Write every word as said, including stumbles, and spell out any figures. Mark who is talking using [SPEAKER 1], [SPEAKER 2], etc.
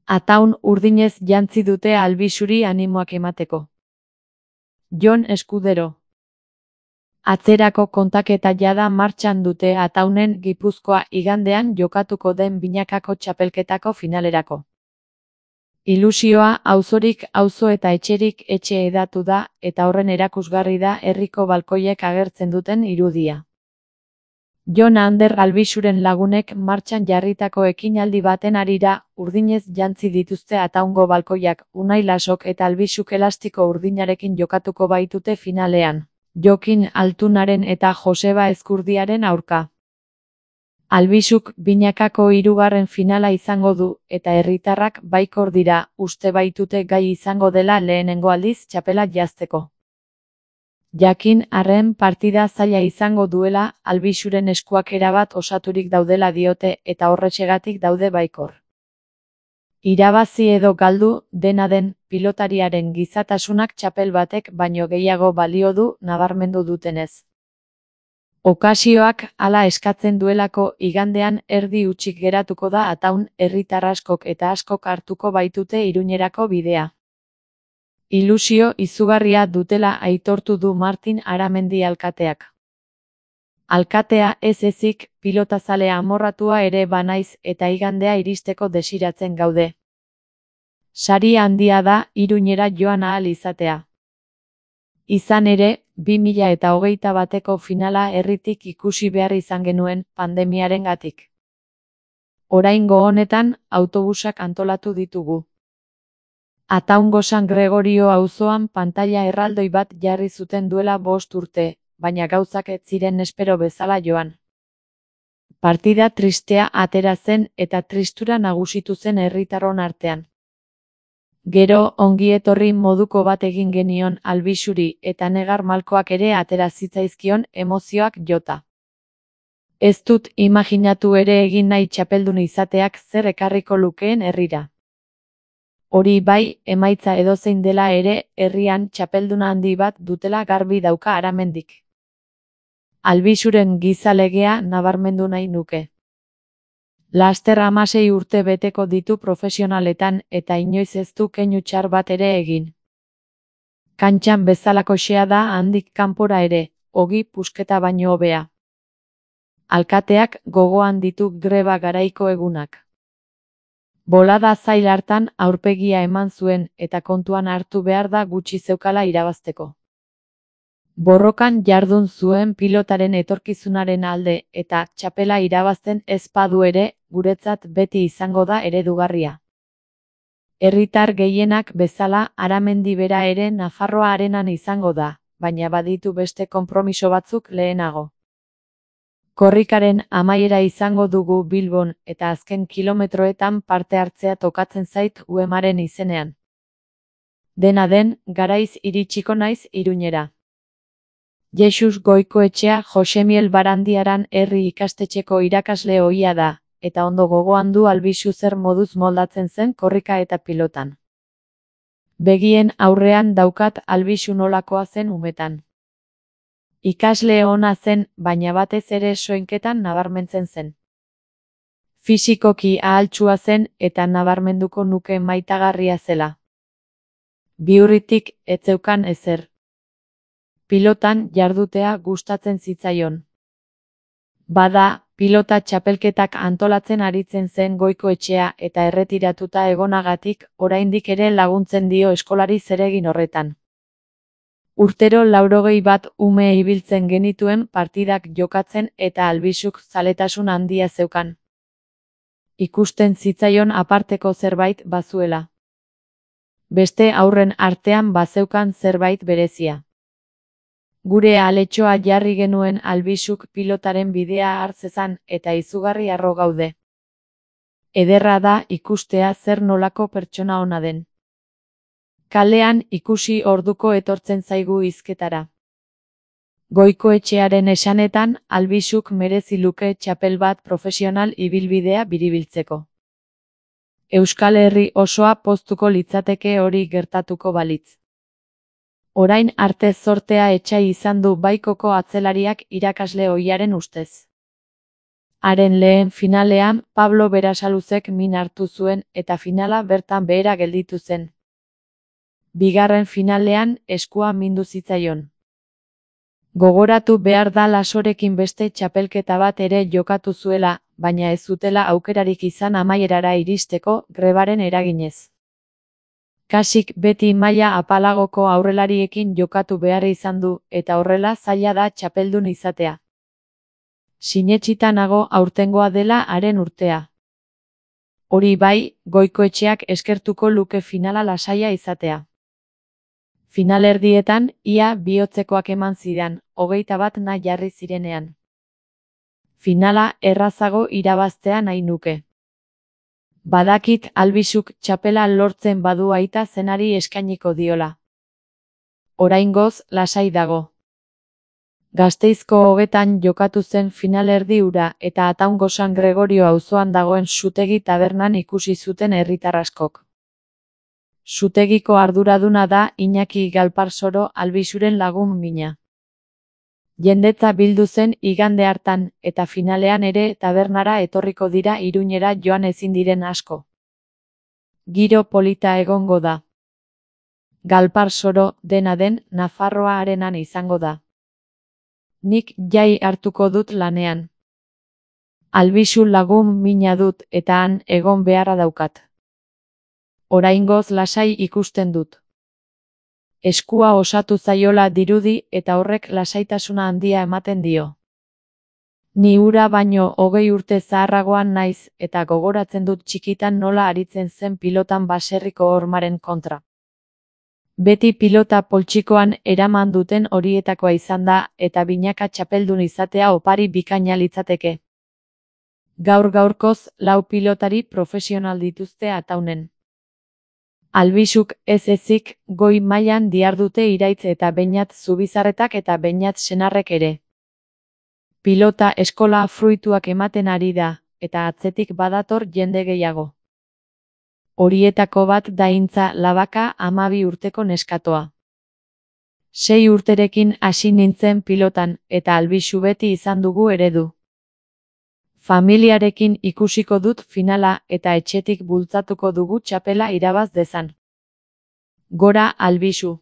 [SPEAKER 1] Ataun urdinez jantzi dute Albixuri animoak emateko. Jon Eskudero. Atzerako kontaketa jada martxan dute Ataunen Gipuzkoa igandean jokatuko den binakako txapelketako finalerako. Ilusioa auzorik auzo eta etxerik etxe hedatu da eta horren erakusgarri da herriko balkoiek agertzen duten irudia. Jon Ander Albixuren lagunek martxan jarritako ekinaldi baten harira urdinez jantzi dituzte Ataungo balkoiak. Unai Lasok eta Albixuk elastiko urdinarekin jokatuko baitute finalean, Jokin Altunaren eta Joseba Ezkurdiaren aurka. Albixuk binakako hirugarren finala izango du eta herritarrak baikor dira, uste baitute gai izango dela lehenengo aldiz txapela jazteko. Jakin arren partida zaila izango duela, Albixuren eskuak erabat osaturik daudela diote eta horrexegatik daude baikor. Irabazi edo galdu, dena den, pilotariaren gizatasunak txapel batek baino gehiago balio du nabarmendu dutenez. Okasioak hala eskatzen duelako igandean erdi hutsik geratuko da Ataun, herritar askok eta askok hartuko baitute Iruñerako bidea. Ilusio izugarria dutela aitortu du Martin Aramendi alkateak. Alkatea ez ezik, pilotazale amorratua ere banaiz eta igandea iristeko desiratzen gaude. Sari handia da Iruñera joan ahal izatea. Izan ere, bi mila eta hogeita bateko finala herritik ikusi behar izan genuen pandemiarengatik. Oraingo honetan, autobusak antolatu ditugu. Ataungo San Gregorio auzoan pantaila erraldoi bat jarri zuten duela bost urte, baina gauzak ez ziren espero bezala joan. Partida tristea atera zen eta tristura nagusitu zen herritarron artean. Gero ongietorri moduko bat egin genion Albixuri eta Negar Malkoak ere atera zitzaizkion emozioak jota. Ez dut imaginatu ere egin nahi txapeldun izateak zer ekarriko lukeen herrira. Hori bai, emaitza edozein dela ere, herrian txapelduna handi bat dutela garbi dauka Aramendik. Albixuren gizalegea nabarmendu nahi nuke. Laster hamasei urte beteko ditu profesionaletan eta inoiz ez du keinu txar bat ere egin. Kantxan bezalakoxea da handik kanpora ere, ogi pusketa baino hobea. Alkateak gogoan ditu greba garaiko egunak. Bolada zail hartan aurpegia eman zuen eta kontuan hartu behar da gutxi zeukala irabazteko. Borrokan jardun zuen pilotaren etorkizunaren alde eta txapela irabazten ez badu ere, guretzat beti izango da eredugarria. Herritar gehienak bezala Aramendi bera ere Nafarroa arenan izango da, baina baditu beste konpromiso batzuk lehenago. Korrikaren amaiera izango dugu Bilbon eta azken kilometroetan parte hartzea tokatzen zait Uemaren izenean. Dena den, garaiz iritsiko naiz Iruñera. Jesus Goikoetxea Josemiel Barandiaran herri ikastetxeko irakasle ohia da, eta ondo gogoan du Albixu zer moduz moldatzen zen korrika eta pilotan. Begien aurrean daukat Albixu nolakoa zen umetan. Ikasle ona zen, baina batez ere soinketan nabarmentzen zen. Fisikoki ahaltsua zen eta nabarmenduko nuke maitagarria zela. Bihurritik ez zeukan ezer. Pilotan jardutea gustatzen zitzaion. Bada, pilota txapelketak antolatzen aritzen zen Goikoetxea eta erretiratuta egonagatik oraindik ere laguntzen dio eskolari zeregin horretan. Urtero laurogei bat ume ibiltzen genituen partidak jokatzen eta Albixuk zaletasun handia zeukan. Ikusten zitzaion aparteko zerbait bazuela. Beste aurren artean bazeukan zerbait berezia. Gure aletxoa jarri genuen Albixuk pilotaren bidea hartzezan eta izugarri harro gaude. Ederra da ikustea zer nolako pertsona ona den. Kalean ikusi orduko etortzen zaigu hizketara. Goikoetxearen esanetan, Albixuk merezi luke txapel bat profesional ibilbidea biribiltzeko. Euskal Herri osoa poztuko litzateke hori gertatuko balitz. Orain arte zortea etsai izan du Baikoko atzelariak irakasle ohiaren ustez. Haren lehen finalean Pablo Berasaluzek min hartu zuen eta finala bertan behera gelditu zen. Bigarren finalean eskua mindu zitzaion. Gogoratu behar da Lasorekin beste txapelketa bat ere jokatu zuela, baina ez zutela aukerarik izan amaierara iristeko grebaren eraginez. Kasik beti maila apalagoko aurrelariekin jokatu behar izan du eta horrela zaila da txapeldun izatea. Sinetsita nago aurtengoa dela haren urtea. Hori bai, Goikoetxeak eskertuko luke finala lasaia izatea. Finalerdietan, ia bihotzekoak eman zidan, hogeita bat nahi jarri zirenean. Finala errazago irabaztea nahi nuke. Badakit Albisuk txapela lortzen badu aita zenari eskainiko diola. Oraingoz lasai dago. Gasteizko hogetan jokatu zen finalerdi hura eta Ataungo San Gregorio auzoan dagoen Sutegi tabernan ikusi zuten herritar askok. Sutegiko arduraduna da Iñaki Galparsoro Albisuren lagun mina. Jendetza bildu zen igande hartan eta finalean ere tabernara etorriko dira Iruñera joan ezin diren asko. Giro polita egongo da. Galparsoro, dena den, Nafarroa arenan izango da. Nik jai hartuko dut lanean. Albisu lagun mina dut eta han egon beharra daukat. Oraingoz lasai ikusten dut. Eskua osatu zaiola dirudi eta horrek lasaitasuna handia ematen dio. Ni hura baino hogei urte zaharragoan naiz eta gogoratzen dut txikitan nola aritzen zen pilotan baserriko hormaren kontra. Beti pilota poltsikoan eraman duten horietakoa izan da eta binaka txapeldun izatea opari bikaina litzateke. Gaur gaurkoz lau pilotari profesional dituzte Ataunen. Albisuk ez ezik goi mailan dihardute Iraitz eta Beñat Zubizarretak eta Beñat senarrek ere. Pilota eskola fruituak ematen ari da, eta atzetik badator jende gehiago. Horietako bat da Intza Labaka hamabi urteko neskatoa. Sei urterekin hasi nintzen pilotan eta Albisu beti izan dugu eredu. Familiarekin ikusiko dut finala eta etxetik bultzatuko dugu txapela irabaz dezan. Gora Albisu!